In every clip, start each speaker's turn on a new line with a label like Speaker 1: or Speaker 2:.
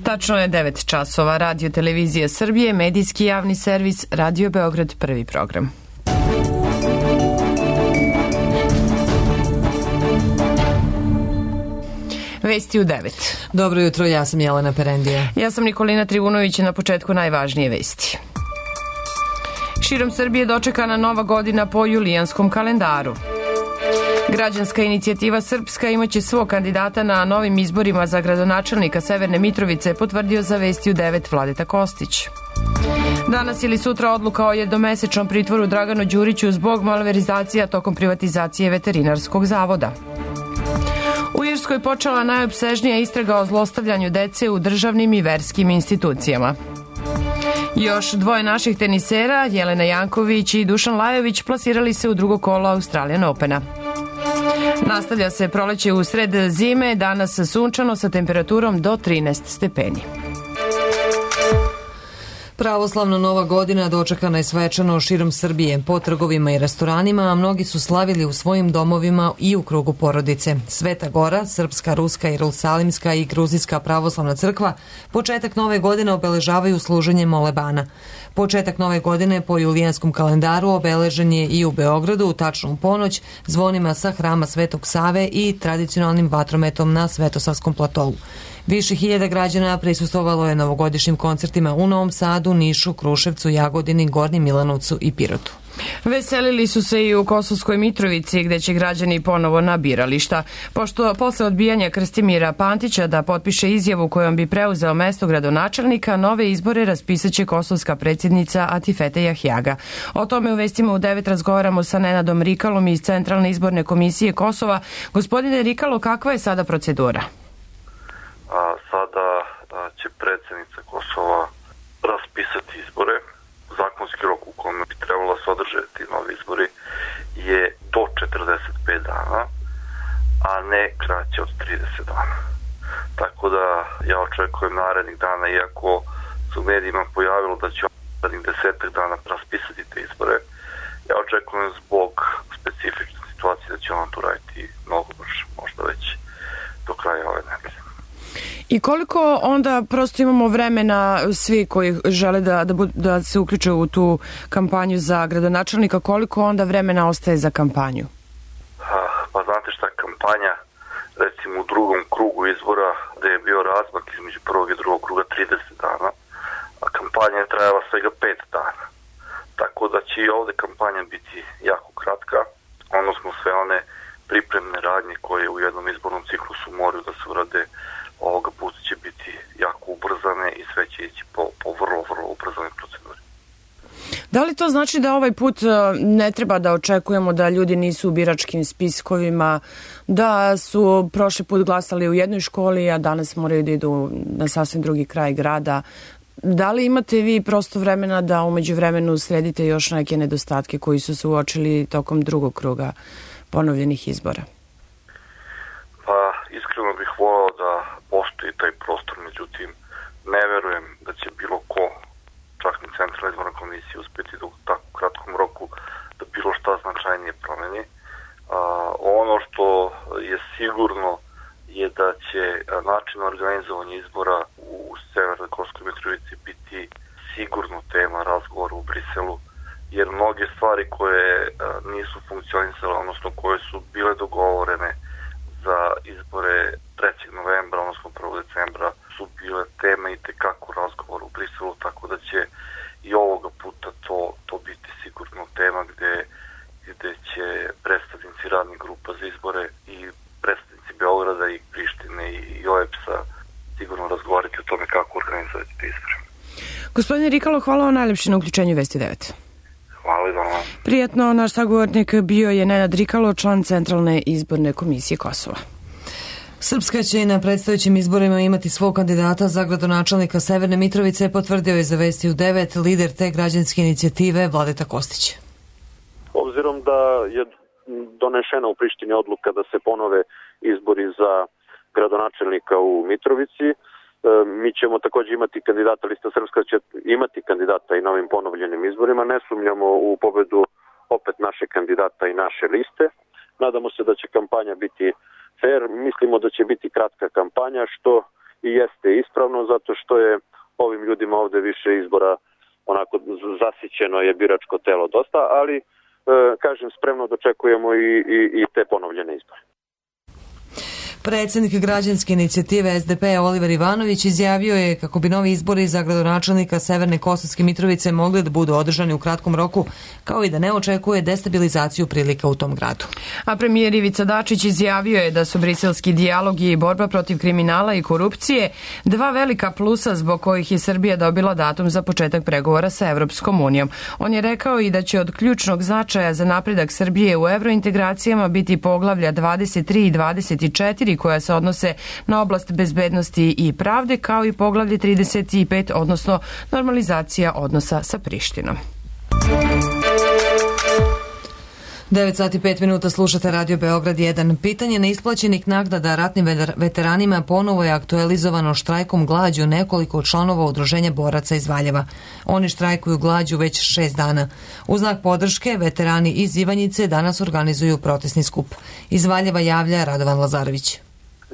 Speaker 1: Tačno je 9 časova. Radio Televizija Srbije, medijski javni servis, Radio Beograd, prvi program. Vesti u 9.
Speaker 2: Dobro jutro, ja sam Jelena Perendija.
Speaker 1: Ja sam Nikolina Trivunović, na početku najvažnije vesti. Širom Srbije dočekana nova godina po julijanskom kalendaru. Građanska inicijativa Srpska imaće svog kandidata na novim izborima za gradonačelnika Severne Mitrovice, potvrdio za Vesti u 9 Vladeta Kostić. Danas ili sutra odluka o jednomesečnom pritvoru Draganu Đuriću zbog malverizacija tokom privatizacije veterinarskog zavoda. U Irskoj počela najopsežnija istraga o zlostavljanju dece u državnim i verskim institucijama. Još dvoje naših tenisera, Jelena Janković i Dušan Lajović, plasirali se u drugo kolo Australian Opena. Nastavlja se proleće u sred zime, danas sunčano sa temperaturom do 13 stepeni.
Speaker 2: Pravoslavna Nova godina dočekana je svečano širom Srbije, po trgovima i restoranima, a mnogi su slavili u svojim domovima i u krugu porodice. Sveta Gora, Srpska, Ruska, Jerusalimska i Gruzijska pravoslavna crkva početak nove godine obeležavaju služenjem molebana. Početak nove godine po julijanskom kalendaru obeležen je i u Beogradu u tačnu ponoć zvonima sa hrama Svetog Save i tradicionalnim vatrometom na Svetosavskom platovu. Više hiljada građana prisustvovalo je novogodišnjim koncertima u Novom Sadu, Nišu, Kruševcu, Jagodini, Gornjem Milanovcu i Pirotu.
Speaker 1: Veselili su se i u Kosovskoj Mitrovici, gde će građani ponovo na birališta. Pošto posle odbijanja Krstimira Pantića da potpiše izjavu kojom bi preuzeo mesto gradonačelnika, nove izbore raspisaće kosovska predsjednica Atifete Jahjaga. O tome u vestima u 9 razgovaramo sa Nenadom Rikalom iz Centralne izborne komisije Kosova. Gospodine Rikalo, kakva je sada procedura?
Speaker 3: Sada će predsjednica Kosova raspisati izbore. Zakonski rok u kome bi trebalo se održati novi izbori je do 45 dana, a ne kraće od 30 dana. Tako da ja očekujem narednih dana, iako se u medijima pojavilo da će narednih 10 dana raspisati te izbore, ja očekujem zbog specifične situacije da će on to raditi mnogo brže, možda već do kraja ove nedelje.
Speaker 1: I koliko onda prosto imamo vremena svi koji žele da se uključe u tu kampanju za gradonačelnika, koliko onda vremena ostaje za kampanju?
Speaker 3: Pa znate šta, kampanja recimo u drugom krugu izbora gde je bio razmak između prvog i drugog kruga 30 dana, a kampanja je trajala svega 5 dana. Tako da će i ovde kampanja biti jako kratka, odnosno sve one pripremne radnje koje u jednom izbornom ciklusu moraju da se urade ovoga puta će biti jako ubrzane i sve će ići po vrlo ubrzane proceduri.
Speaker 1: Da li to znači da ovaj put ne treba da očekujemo da ljudi nisu u biračkim spiskovima, da su prošli put glasali u jednoj školi, a danas moraju da idu na sasvim drugi kraj grada? Da li imate vi prosto vremena da umeđu vremenu sredite još neke nedostatke koji su se uočili tokom drugog kruga ponovljenih izbora?
Speaker 3: Pa iskreno bih volao da postoji taj prostor, međutim ne verujem da će bilo ko, čak ni Centralna izborna komisija, uspjeti da u tako kratkom roku da bilo šta značajnije promeni. Ono što je sigurno je da će način organizovanja izbora u Severnoj Kosovskoj Mitrovici biti sigurno tema razgovora u Briselu, jer mnoge stvari koje nisu funkcionisale, odnosno koje su bile dogovorene za izbore 3. novembra, odnosno 1. decembra, su bile teme i tekako razgovor u Briselu, tako da će i ovoga puta to biti sigurno tema gde će predstavnici radnih grupa za izbore i predstavnici Beograda i Prištine i OEBS-a sigurno razgovarati o tome kako organizovati te izbore.
Speaker 1: Gospodine Rikalo, hvala vam najlepše na uključenju Vesti 9.
Speaker 3: Hvala i vama.
Speaker 1: Prijatno, naš sagovornik bio je Nenad Rikalo, član Centralne izborne komisije Kosova.
Speaker 2: Srpska će i na predstojećim izborima imati svog kandidata za gradonačelnika Severne Mitrovice, potvrdio je za Vesti u 9 lider te građanske inicijative Vladeta Kostić.
Speaker 4: Obzirom da je donešena u Prištini odluka da se ponove izbori za gradonačelnika u Mitrovici, mi ćemo također imati kandidata, lista Srpska će imati kandidata i na ovim ponovljenim izborima. Ne sumnjamo u pobedu opet naše kandidata i naše liste. Nadamo se da će kampanja biti fair. Mislimo da će biti kratka kampanja, što i jeste ispravno zato što je ovim ljudima ovde više izbora onako zasićeno je biračko telo dosta, ali kažem spremno dočekujemo i te ponovljene izbore.
Speaker 2: Predsjednik građanske inicijative SDP Oliver Ivanović izjavio je kako bi novi izbori za gradonačelnika Severne Kosovske Mitrovice mogli da budu održani u kratkom roku, kao i da ne očekuje destabilizaciju prilika u tom gradu.
Speaker 1: A premijer Ivica Dačić izjavio je da su briselski dijalog i borba protiv kriminala i korupcije dva velika plusa zbog kojih je Srbija dobila datum za početak pregovora sa Evropskom unijom. On je rekao i da će od ključnog značaja za napredak Srbije u evrointegracijama biti poglavlja 23 i 24 koja se odnose na oblast bezbednosti i pravde, kao i poglavlje 35, odnosno normalizacija odnosa sa Prištinom.
Speaker 2: 9 sati 5 minuta slušate Radio Beograd 1. Pitanje neisplaćenih naknada ratnim veteranima ponovo je aktualizovano štrajkom glađu nekoliko članova udruženja boraca iz Valjeva. Oni štrajkuju glađu već 6 dana. U znak podrške veterani iz Ivanjice danas organizuju protestni skup. Iz Valjeva javlja Radovan Lazarević.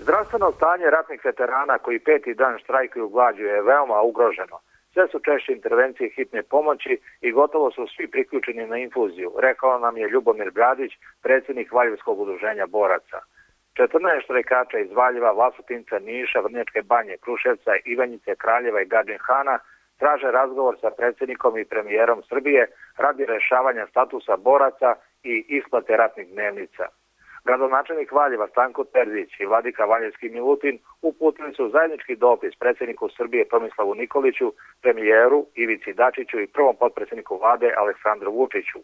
Speaker 5: Zdravstveno stanje ratnih veterana koji 5. dan štrajkuju glađu je veoma ugroženo. Sve su češće intervencije hitne pomoći i gotovo su svi priključeni na infuziju, rekao nam je Ljubomir Bradić, predsjednik Valjevskog udruženja boraca. 14 štrajkača iz Valjeva, Vlasotinca, Niša, Vrnjačke banje, Kruševca, Ivanjice, Kraljeva i Gadžin Hana traže razgovor sa predsjednikom i premijerom Srbije radi rešavanja statusa boraca i isplate ratnih dnevnica. Gradonačelnik Valjeva Stanko Terzić i vladika Valjevski Milutin uputili su zajednički dopis predsjedniku Srbije Tomislavu Nikoliću, premijeru Ivici Dačiću i prvom potpredsjedniku vlade Aleksandru Vučiću.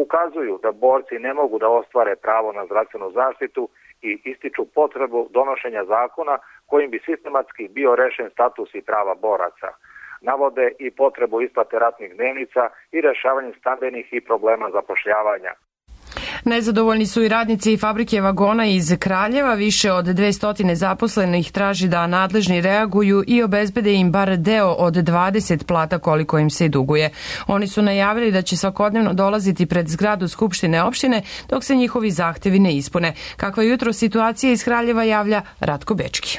Speaker 5: Ukazuju da borci ne mogu da ostvare pravo na zdravstvenu zaštitu i ističu potrebu donošenja zakona kojim bi sistematski bio rešen status i prava boraca. Navode i potrebu isplate ratnih dnevnica i rešavanje stambenih i problema zapošljavanja.
Speaker 1: Nezadovoljni su i radnici fabrike vagona iz Kraljeva. Više od 200 zaposlenih traži da nadležni reaguju i obezbede im bar deo od 20 plata koliko im se duguje. Oni su najavili da će svakodnevno dolaziti pred zgradu Skupštine opštine dok se njihovi zahtevi ne ispune. Kakva je jutro situacija iz Kraljeva javlja Ratko Bečki.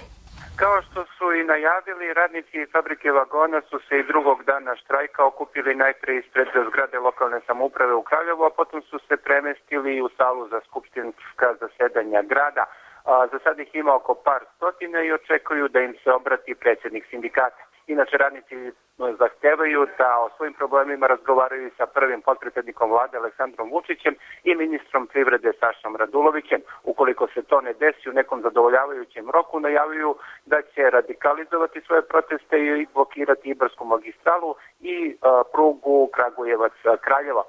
Speaker 6: Kao što su i najavili, radnici fabrike vagona su se i drugog dana štrajka okupili najpre ispred zgrade lokalne samouprave u Kraljevu, a potom su se premestili u salu za skupštinska zasedanja grada. Za sad ih ima oko par stotina i očekuju da im se obrati predsjednik sindikata. Inače, radnici zahtevaju da o svojim problemima razgovaraju sa prvim potpredsjednikom vlade Aleksandrom Vučićem i ministrom privrede Sašom Radulovićem. Ukoliko se to ne desi u nekom zadovoljavajućem roku, najavljuju da će radikalizovati svoje proteste i blokirati Ibarsku magistralu i prugu Kragujevac-Kraljeva.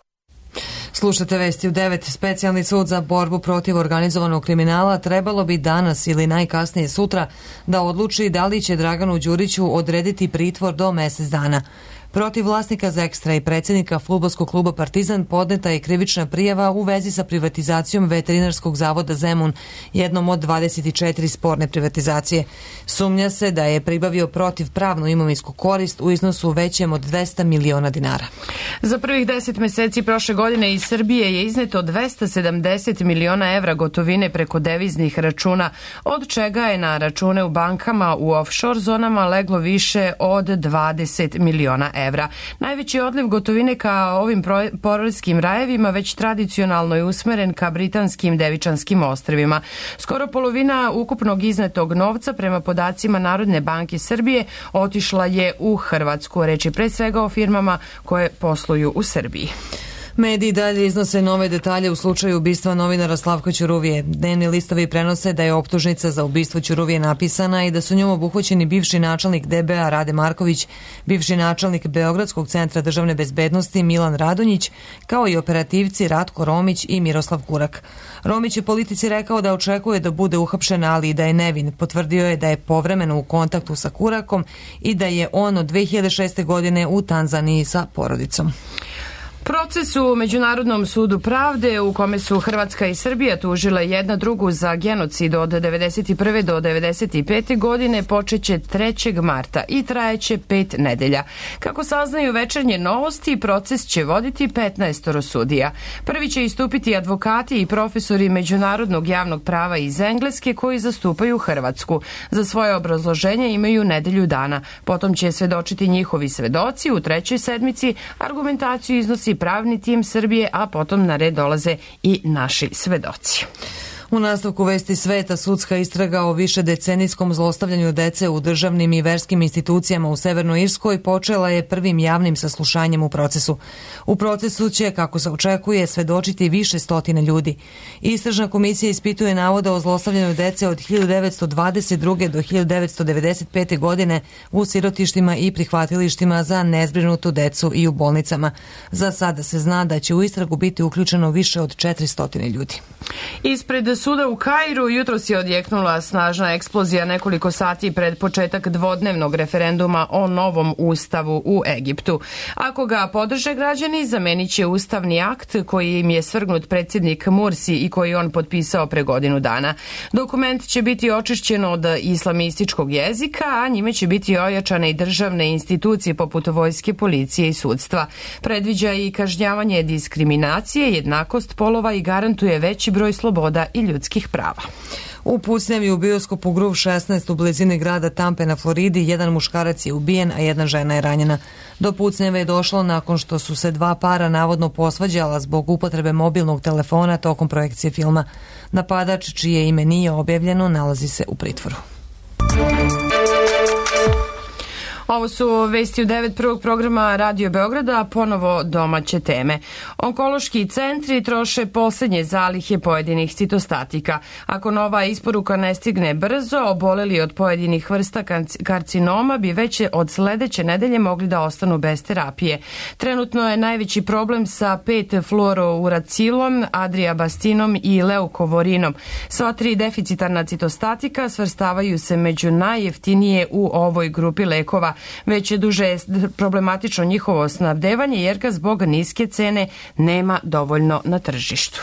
Speaker 2: Slušate vesti u 9. Specijalni sud za borbu protiv organizovanog kriminala trebalo bi danas ili najkasnije sutra da odluči da li će Draganu Đuriću odrediti pritvor do mjesec dana. Protiv vlasnika Zekstra i predsjednika fudbalskog kluba Partizan podneta je krivična prijava u vezi sa privatizacijom Veterinarskog zavoda Zemun, jednom od 24 sporne privatizacije. Sumnja se da je pribavio protivpravnu imovinsku korist u iznosu većem od 200 miliona dinara.
Speaker 1: Za prvih 10 meseci prošle godine iz Srbije je izneto 270 miliona evra gotovine preko deviznih računa, od čega je na račune u bankama u offshore zonama leglo više od 20 miliona evra. Najveći odliv gotovine ka ovim porelskim rajevima već tradicionalno je usmeren ka britanskim Devičanskim ostrvima. Skoro polovina ukupnog iznetog novca prema podacima Narodne banke Srbije otišla je u Hrvatsku. Reč je pre svega o firmama koje posluju u Srbiji.
Speaker 2: Mediji dalje iznose nove detalje u slučaju ubistva novinara Slavka Ćuruvije. Dnevni listovi prenose da je optužnica za ubistvo Ćuruvije napisana i da su njom obuhvaćeni bivši načelnik DBA Rade Marković, bivši načelnik Beogradskog centra državne bezbednosti Milan Radonjić, kao i operativci Ratko Romić i Miroslav Kurak. Romić je politici rekao da očekuje da bude uhapšen, ali i da je nevin. Potvrdio je da je povremeno u kontaktu sa Kurakom i da je on od 2006. godine u Tanzaniji sa porodicom.
Speaker 1: Proces u Međunarodnom sudu pravde u kome su Hrvatska i Srbija tužile jedna drugu za genocid od 1991. do 1995. godine počeće 3. marta i trajeće 5 nedelja. Kako saznaju Večernje novosti, proces će voditi 15 sudija. Prvi će istupiti advokati i profesori međunarodnog javnog prava iz Engleske koji zastupaju Hrvatsku. Za svoje obrazloženje imaju nedelju dana. Potom će svedočiti njihovi svedoci u trećoj sedmici, argumentaciju iznosi pravni tim Srbije, a potom na red dolaze i naši svedoci.
Speaker 2: U nastavku vesti sveta, sudska istraga o višedecenijskom zlostavljanju dece u državnim i verskim institucijama u Severnoj Irskoj počela je prvim javnim saslušanjem u procesu. U procesu će, kako se očekuje, svedočiti više stotine ljudi. Istražna komisija ispituje navode o zlostavljanju dece od 1922. do 1995. godine u sirotištima i prihvatilištima za nezbrinutu decu i u bolnicama. Za sada se zna da će u istragu biti uključeno više od 400 ljudi.
Speaker 1: Ispred suda u Kairu jutros je odjeknula snažna eksplozija nekoliko sati pred početak dvodnevnog referenduma o novom ustavu u Egiptu. Ako ga podrže građani, zamenit će ustavni akt koji im je svrgnut predsjednik Mursi i koji on potpisao pre godinu dana. Dokument će biti očišćen od islamističkog jezika, a njime će biti ojačane i državne institucije poput vojske, policije i sudstva. Predviđa i kažnjavanje diskriminacije, jednakost polova i garantuje veći broj sloboda i ljudskih prava.
Speaker 2: U pucnjavi u bioskopu Groove 16 u blizini grada Tampe na Floridi jedan muškarac je ubijen, a jedna žena je ranjena. Do pucnjave je došlo nakon što su se dva para navodno posvađala zbog upotrebe mobilnog telefona tokom projekcije filma. Napadač, čije ime nije objavljeno, nalazi se u pritvoru.
Speaker 1: Ovo su vesti u 9 prvog programa Radio Beograda, a ponovo domaće teme. Onkološki centri troše posljednje zalihe pojedinih citostatika. Ako nova isporuka ne stigne brzo, oboleli od pojedinih vrsta karcinoma bi već od sledeće nedelje mogli da ostanu bez terapije. Trenutno je najveći problem sa 5-fluorouracilom, adriabastinom i leukovorinom. Sva tri deficitarna citostatika svrstavaju se među najjeftinije u ovoj grupi lekova. Već je duže problematično njihovo snabdevanje jer ga zbog niske cene nema dovoljno na tržištu.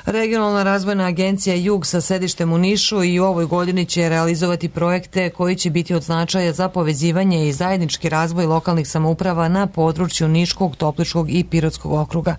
Speaker 2: Regionalna razvojna agencija Jug sa sedištem u Nišu i u ovoj godini će realizovati projekte koji će biti od značaja za povezivanje i zajednički razvoj lokalnih samouprava na području Niškog, Topličkog i Pirotskog okruga.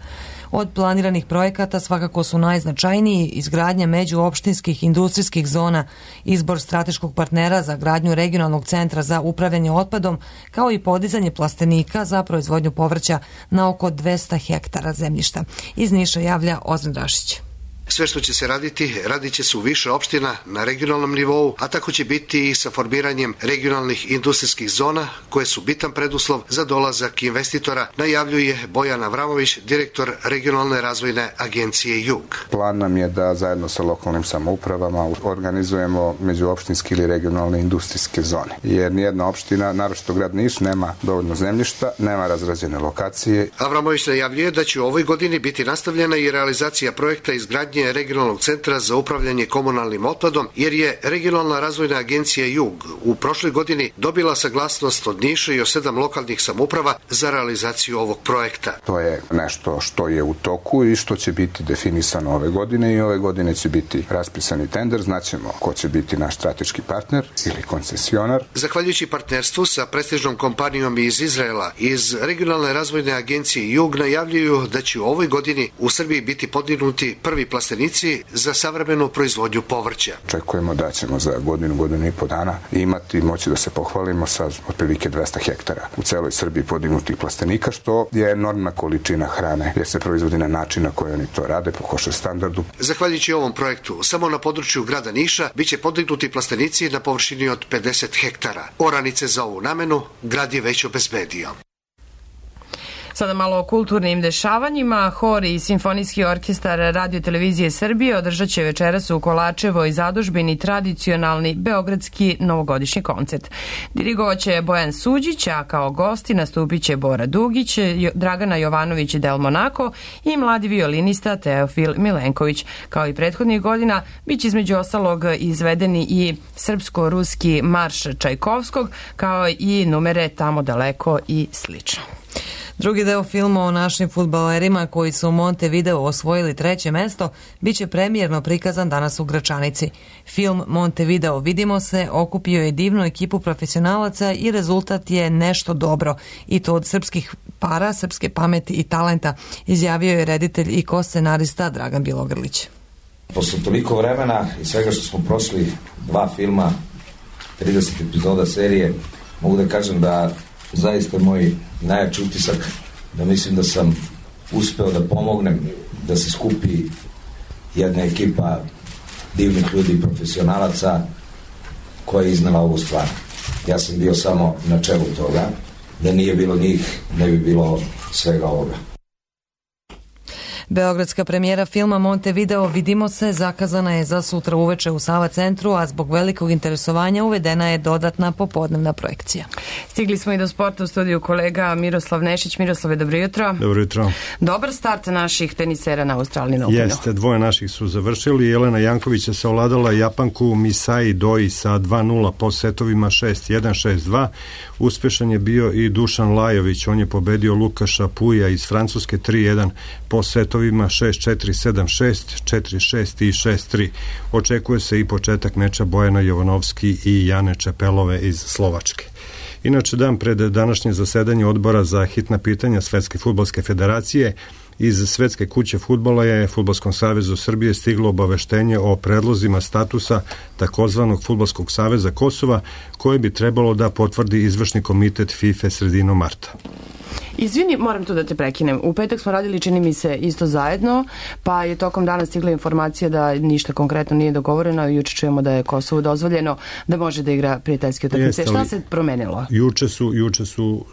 Speaker 2: Od planiranih projekata svakako su najznačajniji izgradnja međuopštinskih industrijskih zona, izbor strateškog partnera za gradnju regionalnog centra za upravljanje otpadom, kao i podizanje plastenika za proizvodnju povrća na oko 200 hektara zemljišta. Iz Niša javlja Ozren Rašić.
Speaker 7: Sve što će se raditi, radit će se u više opština na regionalnom nivou, a tako će biti i sa formiranjem regionalnih industrijskih zona, koje su bitan preduslov za dolazak investitora, najavljuje Bojan Avramović, direktor regionalne razvojne agencije Jug.
Speaker 8: Plan nam je da zajedno sa lokalnim samoupravama organizujemo međuopštinske ili regionalne industrijske zone. Jer nijedna opština, naročito grad Niš, nema dovoljno zemljišta, nema razrađene lokacije.
Speaker 7: Avramović najavljuje da će u ovoj godini biti nastavljena i realizacija projekta izgradnje regionalnog centra za upravljanje komunalnim otpadom, jer je regionalna razvojna agencija Jug u prošloj godini dobila saglasnost od Niša i od 7 lokalnih samouprava za realizaciju ovog projekta.
Speaker 8: To je nešto što je u toku i što će biti definisano ove godine i ove godine će biti raspisani tender, znaćemo ko će biti naš strateški partner ili koncesionar.
Speaker 7: Zahvaljujući partnerstvu sa prestižnom kompanijom iz Izraela, iz regionalne razvojne agencije Jug najavljuju da će u ovoj godini u Srbiji biti podignuti prvi plastenici za savremenu proizvodnju povrća.
Speaker 8: Očekujemo da ćemo za godinu i po dana imati moći da se pohvalimo sa otprilike 200 hektara u celoj Srbiji podignutih plastenika, što je enormna količina hrane jer se proizvodi na način na koji oni to rade po košer standardu.
Speaker 7: Zahvaljujući ovom projektu, samo na području grada Niša biće podignuti plastenici na površini od 50 hektara. Oranice za ovu namenu grad je već obezbedio.
Speaker 1: Sada malo o kulturnim dešavanjima. Hor i Simfonijski orkestar Radio Televizije Srbije održat će večeras u Kolačevoj zadužbini tradicionalni beogradski novogodišnji koncert. Dirigovaće Bojan Suđić, a kao gosti nastupit će Bora Dugić, Dragana Jovanović Del Monaco i mladi violinista Teofil Milenković. Kao i prethodnih godina, bit će između ostalog izvedeni i srpsko-ruski marš Čajkovskog, kao i numere Tamo daleko i slično.
Speaker 2: Drugi deo filma o našim fudbalerima koji su u Montevideo osvojili 3. mesto biće premijerno prikazan danas u Gračanici. Film Montevideo Vidimo se okupio je divnu ekipu profesionalaca i rezultat je nešto dobro, i to od srpskih para, srpske pameti i talenta, izjavio je reditelj i ko-scenarista Dragan Bjelogrlić.
Speaker 9: Posle toliko vremena i svega što smo prošli, 2 filma, 30 epizoda serije, mogu da kažem da zaista moj najjači utisak, da mislim da sam uspeo da pomognem da se skupi jedna ekipa divnih ljudi i profesionalaca koja je iznala ovu stvar. Ja sam bio samo na čelu toga, da nije bilo njih, ne bi bilo svega ovoga.
Speaker 2: Beogradska premijera filma Montevideo Vidimo se zakazana je za sutra uveče u Sava centru, a zbog velikog interesovanja uvedena je dodatna popodnevna projekcija.
Speaker 1: Stigli smo i do sporta, u studiju kolega Miroslav Nešić. Miroslave, dobro jutro.
Speaker 10: Dobro jutro.
Speaker 1: Dobar start naših tenisera na Australian Openu.
Speaker 10: Jeste, 2 naših su završili. Jelena Janković je savladala Japanku Misai Doi sa 2-0 po setovima 6-1, 6-2. Uspešan je bio i Dušan Lajović, on je pobedio Lukaša Puja iz Francuske 3-1 po setovima 6-4, 7-6, 4-6 i 6-3. Očekuje se i početak meča Bojana Jovanovski i Jane Čepelove iz Slovačke. Inače, dan pred današnje zasedanje odbora za hitna pitanja Svetske fudbalske federacije, iz Svetske kuće fudbala je Fudbalskom savezu Srbije stiglo obaveštenje o predlozima statusa takozvanog Fudbalskog saveza Kosova, koje bi trebalo da potvrdi izvršni komitet FIFA sredinom marta.
Speaker 1: Izvini, moram tu da te prekinem. U petak smo radili, čini mi se, isto zajedno, pa je tokom dana stigla informacija da ništa konkretno nije dogovoreno i juče čujemo da je Kosovu dozvoljeno da može da igra prijateljske utakmice. Šta se promenilo?
Speaker 10: Juče su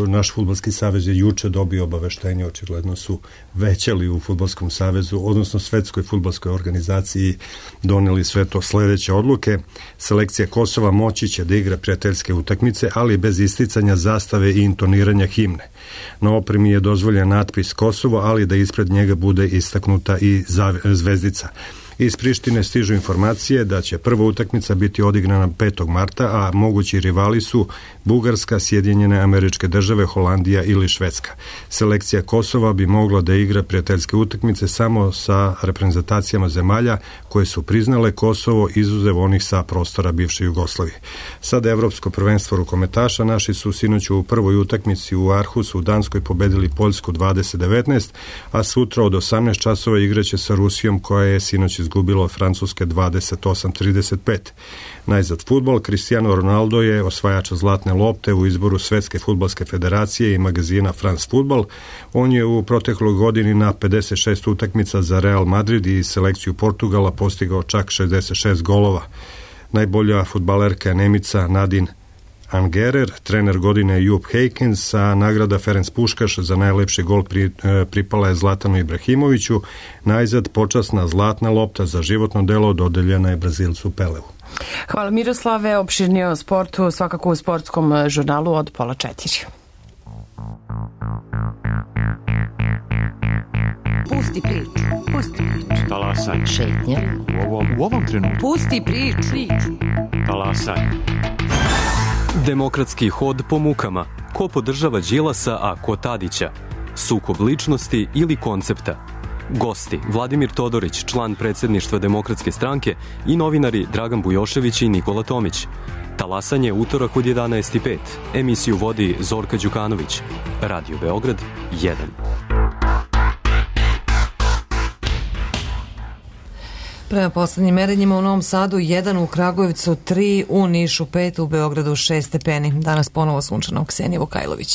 Speaker 10: naš fudbalski savez je juče dobio obaveštenje, očigledno su većali u Fudbalskom savezu, odnosno Svetskoj fudbalskoj organizaciji, doneli sve to sledeće odluke. Selekcija Kosova moći će da igra prijateljske utakmice, ali bez isticanja zastave i intoniranja himne. Na opremi je dozvoljen natpis Kosovo, ali da ispred njega bude istaknuta i zvezdica. Iz Prištine stižu informacije da će prva utakmica biti odigrana 5. marta, a mogući rivali su Bugarska, Sjedinjene Američke Države, Holandija ili Švedska. Selekcija Kosova bi mogla da igra prijateljske utakmice samo sa reprezentacijama zemalja koje su priznale Kosovo, izuzev onih sa prostora bivše Jugoslavije. Sada Evropsko prvenstvo rukometaša, naši su sinoć u prvoj utakmici u Arhusu u Danskoj pobedili Poljsku 20-19, a sutra od 18 časova igraće sa Rusijom, koja je sinoć izgubila od Francuske 28-35. Najzad fudbal, Cristiano Ronaldo je osvajač zlatne lopte u izboru Svetske fudbalske federacije i magazina France Football. On je u protekloj godini na 56 utakmica za Real Madrid i selekciju Portugala postigao čak 66 golova. Najbolja fudbalerka je Nemica Nadine Angerer, trener godine je Jupp Heynckes, a nagrada Ferenc Puškaš za najlepši gol pripala je Zlatanu Ibrahimoviću. Najzad počasna zlatna lopta za životno delo dodeljena je Brazilcu Peleu.
Speaker 1: Hvala Miroslave, opširnije o sportu svakako u sportskom žurnalu od 3:30.
Speaker 11: Pusti priču.
Speaker 12: Talasaj.
Speaker 11: Šetnja.
Speaker 12: U ovom trenutku.
Speaker 11: Pusti priču.
Speaker 12: Talasaj.
Speaker 13: Demokratski hod po mukama. Ko podržava Đilasa, a ko Tadića? Sukob ličnosti ili koncepta? Gosti: Vladimir Todorić, član predsjedništva Demokratske stranke, i novinari Dragan Bujošević i Nikola Tomić. Talasanje utorak od 11:05. Emisiju vodi Zorka Đukanović. Radio Beograd 1.
Speaker 2: Prema poslednjim merenjima u Novom Sadu 1, u Kragujevcu 3, u Nišu 5, u Beogradu 6 stepeni. Danas ponovo sunčano. Ksenija Vukajlović.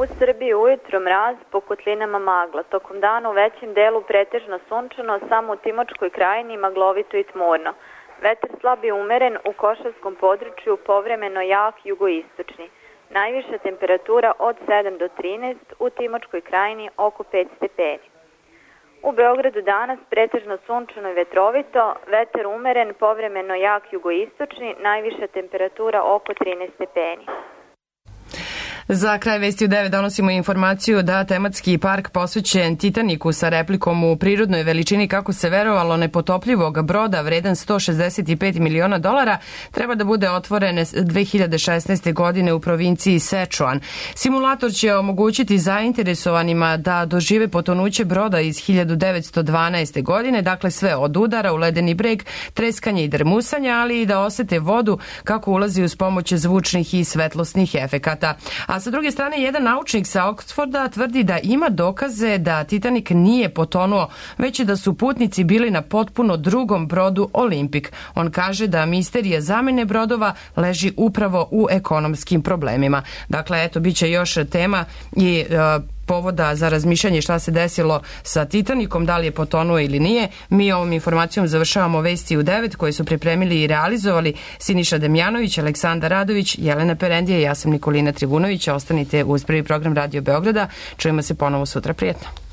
Speaker 14: U Srbiji ujutro mraz, po kotlinama magla. Tokom dana u većem delu pretežno sunčano, samo u Timočkoj krajini maglovito i tmurno. Vetar slab i umeren, u Košavskom području povremeno jak jugoistočni. Najviša temperatura od 7 do 13, u Timočkoj krajini oko 5 stepeni. U Beogradu danas pretežno sunčano i vetrovito, vetar umeren, povremeno jak jugoistočni, najviša temperatura oko 13 stepeni.
Speaker 1: Za kraj vesti u 9 donosimo informaciju da tematski park posvećen Titaniku sa replikom u prirodnoj veličini, kako se verovalo, nepotopljivog broda vredan $165 miliona treba da bude otvoren 2016. godine u provinciji Sečuan. Simulator će omogućiti zainteresovanima da dožive potonuće broda iz 1912. godine, dakle sve od udara u ledeni breg, treskanja i drmusanja, ali i da osete vodu kako ulazi uz pomoć zvučnih i svetlosnih efekata. A sa druge strane, jedan naučnik sa Oxforda tvrdi da ima dokaze da Titanik nije potonuo, već da su putnici bili na potpuno drugom brodu Olympic. On kaže da misterija zamene brodova leži upravo u ekonomskim problemima. Dakle, eto, bit će još tema i povoda za razmišljanje šta se desilo sa Titanikom, da li je potonuo ili nije. Mi ovom informacijom završavamo vesti u 9 koje su pripremili i realizovali Siniša Demjanović, Aleksandar Radović, Jelena Perendija i ja sam Nikolina Trivunović. Ostanite uz prvi program Radio Beograda. Čujemo se ponovo sutra. Prijetno.